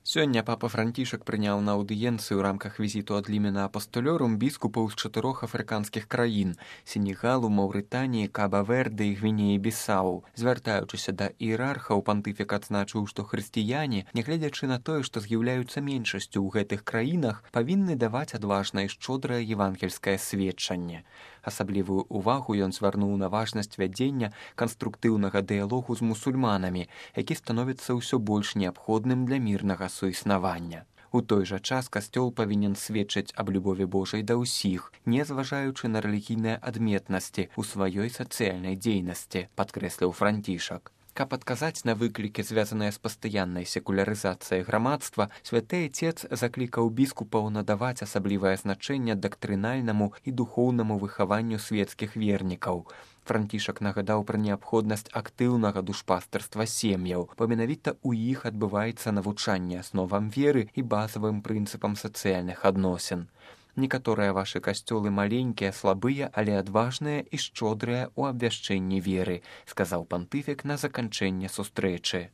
Сёння папа Францішак прыняў на аўдыенцыю ў рамках візіту ад лімена апостолёрум біскупаў з 4 афрыканскіх краін – Сенегалу, Маўрытаніі, Каба-Верде і Гвінеі-Бісау. Звяртаючыся да іерархаў, пантыфік адзначыў, што хрысціяне, нягледзячы на тое, што з'яўляюцца меншасцю ў гэтых краінах, павінны даваць адважнае і шчодрае евангельскае сведчанне. Асаблівую ўвагу ён звярнуў на важнасць вядзення канструктыўнага дыялогу з мусульманамі, які становіцца ўсё больш неабходным для мірнага суіснавання. У той жа час касцёл павінен сведчыць аб любові Божай да ўсіх, не зважаючы на рэлігійныя адметнасці ў сваёй сацыяльнай дзейнасці, падкрэсліў Францішак. Каб адказаць на выклікі, звязаныя з пастаяннай секулярызацыяй грамадства, святы Отец заклікаў біскупаў надаваць асаблівае значэнне дактрынальнаму і духоўнаму выхаванню светскіх вернікаў. Францішак нагадаў пра неабходнасць актыўнага душпастарства сем'яў, бо менавіта ў іх адбываецца навучанне асновам веры і базавым прынцыпам сацыяльных адносін. Некаторыя вашы касцёлы маленькія, слабыя, але адважныя і шчодрыя ў абвяшчэнні веры, сказаў пантыфік на заканчэнне сустрэчы.